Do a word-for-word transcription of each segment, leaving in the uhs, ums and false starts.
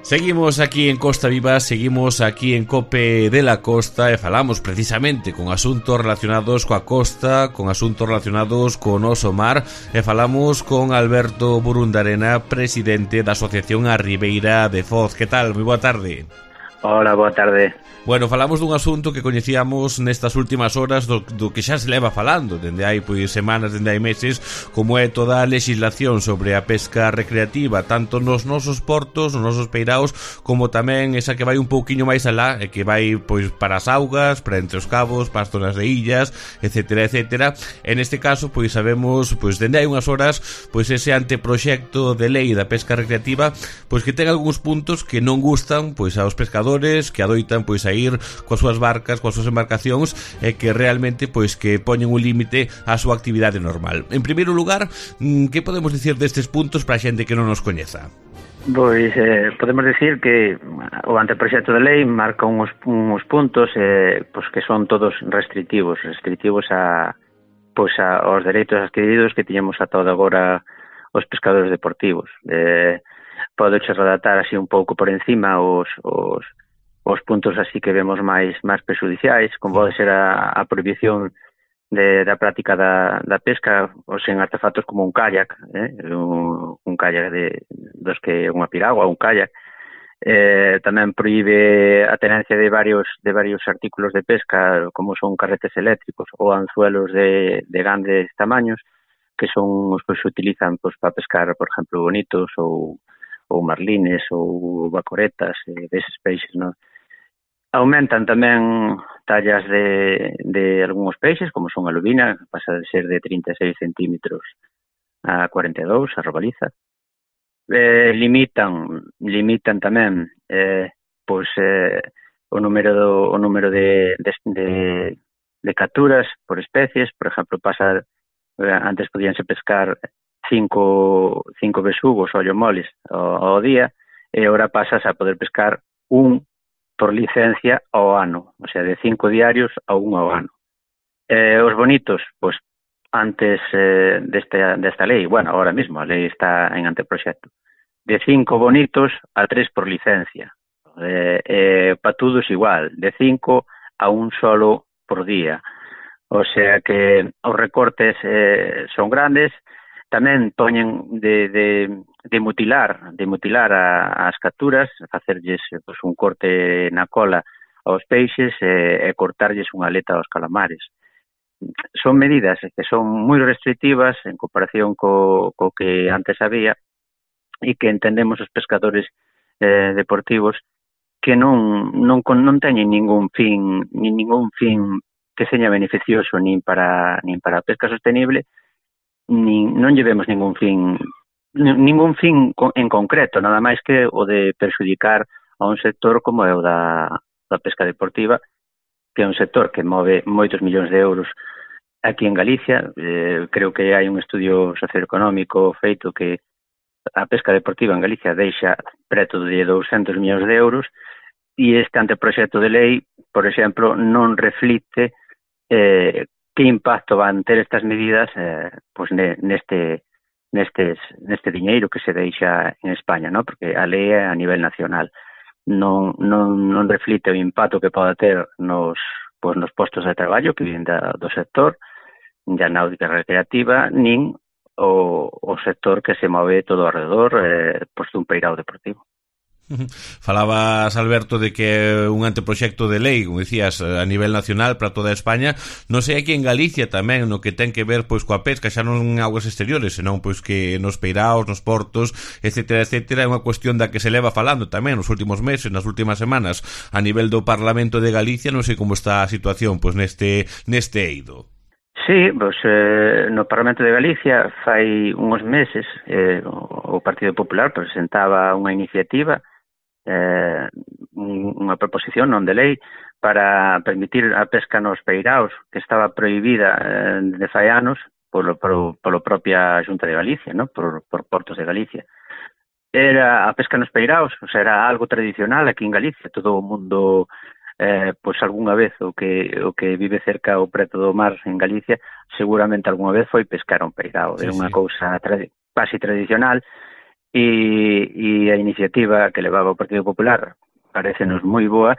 Seguimos aquí en Costa Viva, seguimos aquí en Cope de la Costa e falamos precisamente con asuntos relacionados coa costa, con asuntos relacionados con oso mar e falamos con Alberto Burundarena, presidente da Asociación A Ribeira de Foz. Que tal? Moi boa tarde. Hola, boa tarde. Bueno, falamos dun asunto que coñecíamos nestas últimas horas do, do que xa se leva falando dende hai pois semanas, dende hai meses, como é toda a legislación sobre a pesca recreativa, tanto nos nosos portos, nos nosos peiraos, como tamén esa que vai un pouquiño máis alá, e que vai pois para as augas, para entre os cabos, para as zonas de illas, etcétera, etcétera. En este caso, pois sabemos, pois dende hai unhas horas, pois ese anteproxecto de lei da pesca recreativa, pois que ten algúns puntos que non gustan pois aos pescadores, que adoitan pois a ir coas súas barcas, coas súas embarcacións e que realmente pois que poñen un límite á súa actividade normal. En primeiro lugar, que podemos dicir destes puntos para a xente que non nos coñeza? Pois eh, podemos dicir que o anteproxecto de lei marca uns, uns puntos eh, pois que son todos restrictivos, restrictivos a pois a, aos dereitos adquiridos que tiñamos ata agora os pescadores deportivos. Eh, podo che redactar así un pouco por encima os, os os puntos así que vemos máis máis prexudiciais, como pode ser a, a prohibición de, da práctica da, da pesca os en artefactos como un kayak, eh? un, un kayak de, dos que unha piragua, un kayak. Eh, tamén prohíbe a tenencia de varios de varios artículos de pesca, como son carretes eléctricos ou anzuelos de, de grandes tamaños, que son os que se utilizan pues, para pescar, por exemplo, bonitos ou, ou marlines ou bacoretas, eh, deses peixes, non? Aumentan tamén tallas de, de algúns peixes, como son a lubina, pasa de ser de trinta e seis centímetros a cuarenta e dous, a robaliza. Eh, limitan limitan tamén eh, pois, eh, o número do, o número de, de, de, de capturas por especies. Por exemplo, pasa eh, antes podíanse pescar cinco, cinco besugos ou ollomoles ao, ao día, e agora pasas a poder pescar un por licencia ao ano, o sea, de cinco diarios a un ao ano. Eh, os bonitos, pois, antes eh, desta, desta lei, bueno, ahora mismo a lei está en anteproxecto, de cinco bonitos a tres por licencia. Eh, eh, patudos igual, de cinco a un solo por día. O sea que os recortes eh, son grandes. Tamén poñen de, de, de mutilar de mutilar a, as capturas, facerlles pues, un corte na cola aos peixes e, e cortarlles unha aleta aos calamares. Son medidas que son moi restrictivas en comparación co, co que antes había e que entendemos os pescadores eh, deportivos que non, non, non teñen ningún fin, nin ningún fin que seña beneficioso nin para, nin para a pesca sostenible, Nin, non llevemos ningún fin ningún fin en concreto, nada máis que o de perxudicar a un sector como é o da, da pesca deportiva, que é un sector que move moitos millóns de euros aquí en Galicia. Eh, creo que hai un estudio socioeconómico feito que a pesca deportiva en Galicia deixa preto de douscentos millóns de euros, e este anteproxecto de lei, por exemplo, non reflite eh, que impacto van ter estas medidas eh, pues neste, nestes, neste diñeiro que se deixa en España, ¿no? Porque a lei é a nivel nacional. Non, non, non reflite o impacto que pode ter nos, pues, nos postos de traballo que viven da, do sector da náutica recreativa, nin o, o sector que se move todo alrededor eh, pues, dun peirao deportivo. Falabas, Alberto, de que é un anteproxecto de lei, como dicías, a nivel nacional para toda España. Non sei aquí en Galicia tamén, no que ten que ver pois coa pesca, xa non en aguas exteriores, senón pois que nos peiraos, nos portos, etcétera, etcétera. É unha cuestión da que se leva falando tamén nos últimos meses, nas últimas semanas, a nivel do Parlamento de Galicia. Non sei como está a situación pois neste neste eido. Sí, pois, eh, no Parlamento de Galicia fai uns meses eh, o Partido Popular presentaba unha iniciativa, eh, unha proposición non de lei para permitir a pesca nos peiraos, que estaba prohibida eh, de fai anos polo, polo, polo propia Xunta de Galicia, ¿no? por, por Portos de Galicia. Era a pesca nos peiraos, o sea, era algo tradicional aquí en Galicia. Todo o mundo eh, pois algunha vez o que o que vive cerca ou preto do mar en Galicia seguramente algunha vez foi pescar un peirao. Sí, era unha sí. cousa tradi- casi tradicional. e, e a iniciativa que levaba o Partido Popular parecenos moi boa.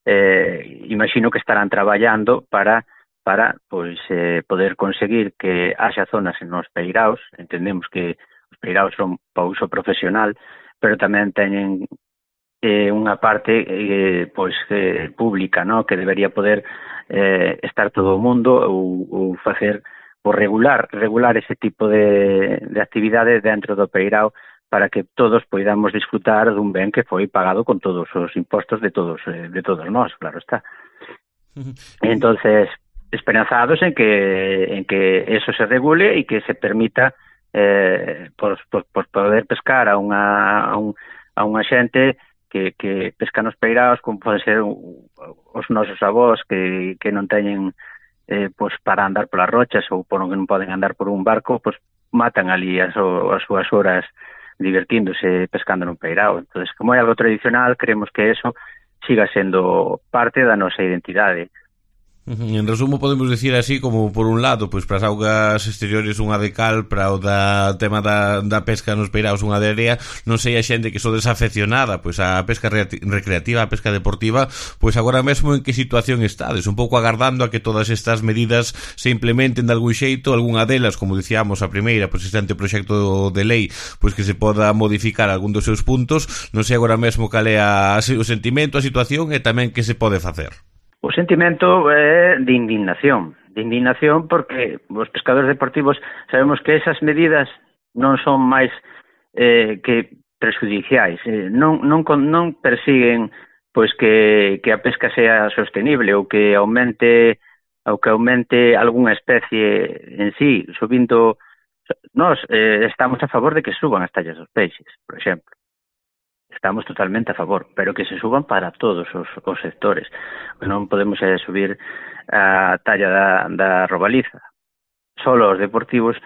Eh, imagino que estarán traballando para para pois eh, poder conseguir que haxa zonas nos peiraos. Entendemos que os peiraos son para uso profesional, pero tamén teñen eh, unha parte eh, pois eh, pública, ¿no? Que debería poder eh, estar todo o mundo ou, ou facer ou regular regular ese tipo de, de actividades dentro do peirao, para que todos poidamos disfrutar dun ben que foi pagado con todos os impostos de todos eh, de todos nós, claro está. Entonces, esperanzados en que en que eso se regule e que se permita eh, por, por, por poder pescar a unha a, un, a unha xente que, que pesca nos peiraos, como pode ser os nosos avós que, que non teñen eh, pues para andar polas rochas ou por que non poden andar por un barco, pues matan ali as, as súas horas divertíndose pescando nun peirao. Entonces, como é algo tradicional, creemos que eso siga sendo parte da nosa identidade. En resumo, podemos decir así como, por un lado, pois para as augas exteriores unha de cal, para o da tema da, da pesca nos peiraos unha de area. Non sei a xente que so desafeccionada pois a pesca recreativa, a pesca deportiva, pois agora mesmo en que situación estades, un pouco agardando a que todas estas medidas se implementen de algún xeito, algunha delas, como dicíamos a primeira, pois este anteproxecto de lei, pois que se poda modificar algún dos seus puntos. Non sei agora mesmo cal é a, o sentimento, a situación e tamén que se pode facer. O sentimento é de indignación, de indignación porque os pescadores deportivos sabemos que esas medidas non son máis eh, que prejudiciais, eh, non, non, non persiguen pois que, que a pesca sea sostenible ou que aumente ou que aumente algunha especie en sí, subindo. Nós eh, estamos a favor de que suban as tallas dos peixes, por exemplo. Estamos totalmente a favor, pero que se suban para todos os, os sectores. Non podemos eh, subir a talla da, da robaliza solo os deportivos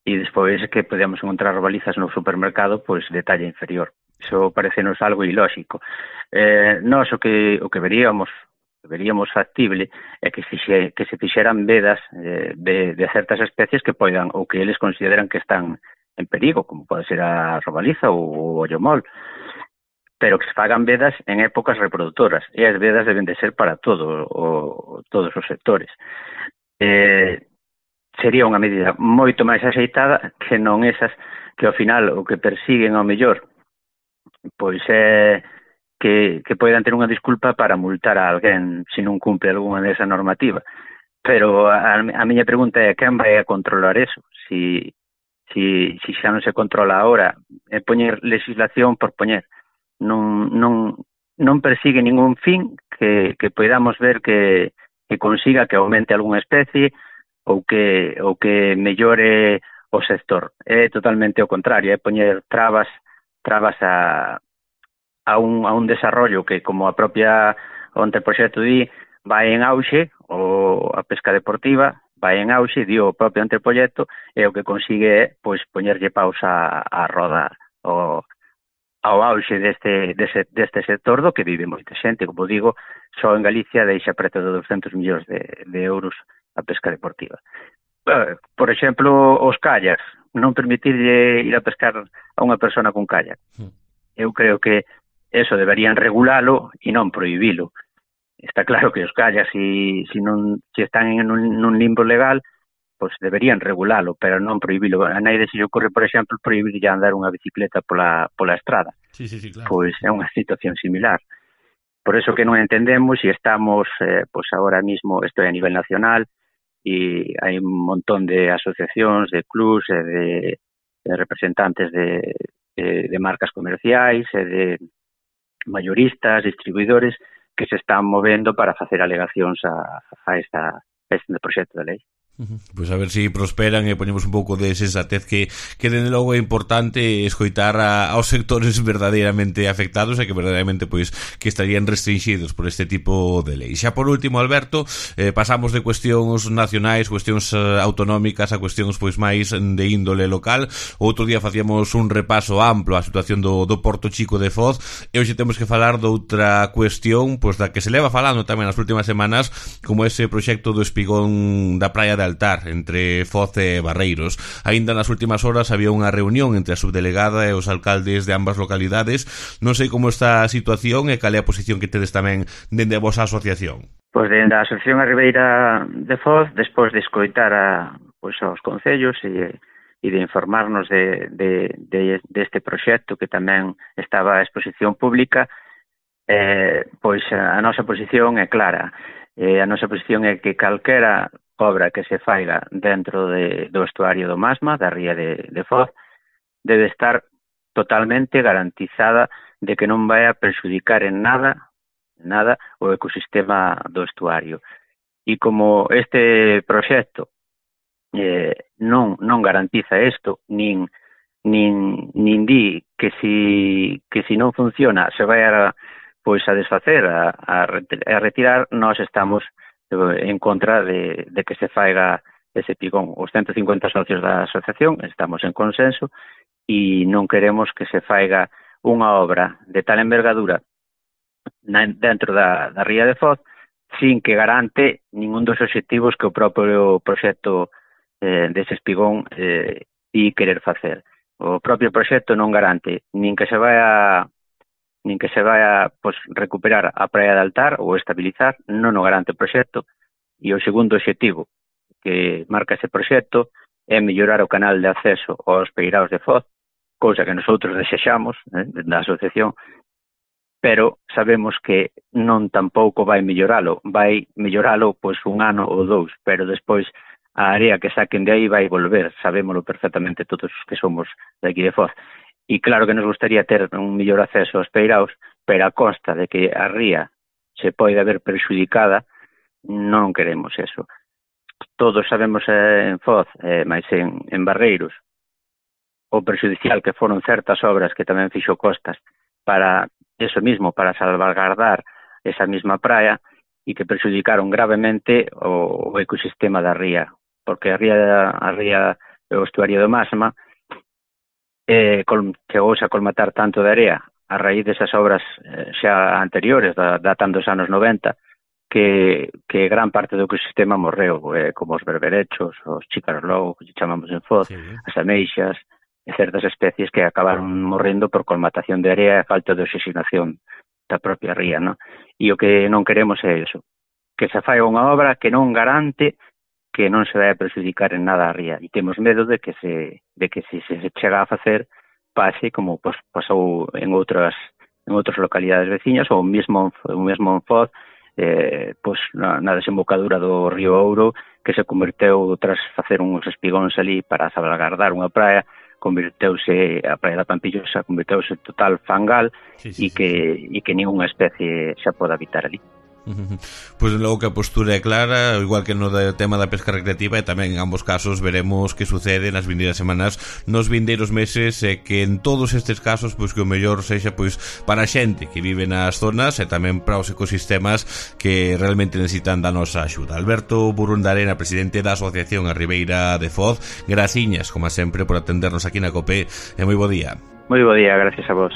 e despois que podemos encontrar robalizas no supermercado pois de talla inferior. Iso parecenos algo ilóxico. Eh, nós o que o que veríamos veríamos factible é que, fixe, que se fixeran vedas eh, de, de certas especies que poidan ou que eles consideran que están en perigo, como pode ser a robaliza ou o ollomol, pero que se fagan vedas en épocas reproductoras, e as vedas deben de ser para todo o, todos os sectores. Eh, sería unha medida moito máis axeitada que non esas que ao final o que persiguen ao mellor pois é que, que poidan ter unha disculpa para multar a alguén se non cumpre algunha desa normativa. Pero a, a miña pregunta é quen vai a controlar eso? Si, si, si xa non se controla ahora, é poñer legislación por poñer. Non, non, non persigue ningún fin que, que podamos ver que, que consiga que aumente algunha especie ou que, ou que mellore o sector. É totalmente o contrario, é poñer trabas trabas a, a, un, a un desarrollo que, como a propia o anteproxecto di, vai en auxe, ou a pesca deportiva vai en auxe, di o propio anteproxecto, e o que consigue é pois, poñerlle pausa a, a roda o ao auxe deste, deste, deste sector do que vive moita xente. Como digo, só en Galicia deixa preto de doscientos millóns de, de euros a pesca deportiva. Por exemplo, os kayaks, non permitirlle ir a pescar a unha persona con kayak. Eu creo que eso deberían regulalo e non prohibilo. Está claro que os kayaks, si, si, non, si están en un, un limbo legal, pois deberían regulalo, pero non prohibilo. A naide se lle ocorre, por exemplo, prohibir andar unha bicicleta pola, pola estrada. Sí, sí, sí, claro. Pois é unha situación similar. Por eso que non entendemos e estamos, eh, pois agora mismo, isto é a nivel nacional, e hai un montón de asociacións, de clubs, e de, de representantes de, de, de marcas comerciais, e de mayoristas, distribuidores, que se están movendo para facer alegacións a, a, esta, a este proxecto de lei. Pois a ver se si prosperan e ponemos un pouco de sensatez que, que dende logo é importante escoitar a, aos sectores verdadeiramente afectados e que verdadeiramente pois que estarían restringidos por este tipo de lei. Xa por último, Alberto, eh, pasamos de cuestións nacionais, cuestións eh, autonómicas a cuestións pois máis de índole local. Outro día facíamos un repaso amplo á situación do, do Porto Chico de Foz e hoxe temos que falar doutra cuestión pois da que se leva falando tamén nas últimas semanas, como ese proxecto do espigón da praia de Altar entre Foz e Barreiros. Aínda nas últimas horas había unha reunión entre a subdelegada e os alcaldes de ambas localidades. Non sei como está a situación e cal é a posición que tedes tamén dende a vosa asociación. Pois dende a Asociación a Ribeira de Foz, despois de escoitar a, pois, aos concellos e, e de informarnos de, de, de, de este proxecto que tamén estaba a exposición pública, eh, pois a, a nosa posición é clara. Eh, a nosa posición é que calquera obra que se faiga dentro de, do estuario do Masma, da ría de, de Foz, debe estar totalmente garantizada de que non vai a perxudicar en nada, nada o ecosistema do estuario. E como este proxecto eh, non, non garantiza isto, nin, nin, nin di que si, que si non funciona se vai a pois a desfacer, a, a retirar, nós estamos en contra de, de que se faiga ese pigón. Os ciento cincuenta socios da asociación estamos en consenso e non queremos que se faiga unha obra de tal envergadura dentro da, da ría de Foz sin que garante ningún dos obxectivos que o propio proxecto eh, dese espigón eh, di querer facer. O propio proxecto non garante nin que se vai a nin que se vai a pues, recuperar a praia de Altar ou estabilizar, non o garante o proxecto. E o segundo obxectivo que marca ese proxecto é mellorar o canal de acceso aos peiraos de Foz, cousa que nosotros desexamos eh, da asociación, pero sabemos que non tampouco vai melloralo, vai melloralo pois un ano ou dous, pero despois a área que saquen de aí vai volver, sabémolo perfectamente todos os que somos de aquí de Foz. E claro que nos gustaría ter un mellor acceso aos peiraos, pero a consta de que a ría se pode ver perxudicada, non queremos eso. Todos sabemos eh, en Foz, eh, máis en, en Barreiros, o perxudicial que foron certas obras que tamén fixo Costas para eso mismo, para salvaguardar esa misma praia e que perxudicaron gravemente o, o ecosistema da ría, porque a ría, a ría o estuario do Masma eh, chegouse a colmatar tanto de area a raíz desas obras eh, xa anteriores, da, datando dos anos noventa, que, que gran parte do ecosistema morreu, eh, como os berberechos, os chícaros logo, que chamamos en Foz, sí, as ameixas, e certas especies que acabaron morrendo por colmatación de area e falta de oxigenación da propia ría, ¿no? E o que non queremos é iso, que se fai unha obra que non garante que non se vai a perjudicar en nada a ría, e temos medo de que se de que se, se chega a facer pase como pues, pasou en outras en outras localidades veciñas ou mesmo o mesmo en Foz, eh, pues, na, na desembocadura do río Ouro, que se converteu tras facer uns espigóns ali para salvaguardar unha praia, converteuse a praia da Pampillosa, converteuse total fangal sí, sí, e que sí. e que ninguna especie xa pode habitar ali. Pois logo que a postura é clara, igual que no tema da pesca recreativa, e tamén en ambos casos veremos que sucede nas vindeiras semanas, nos vindeiros meses, e que en todos estes casos pois que o mellor sexa pois para a xente que vive nas zonas e tamén para os ecosistemas que realmente necesitan da nosa axuda. Alberto Burundarena, presidente da Asociación a Ribeira de Foz, graciñas, como sempre, por atendernos aquí na COPE, e moi bo día. Moi bo día, gracias a vos.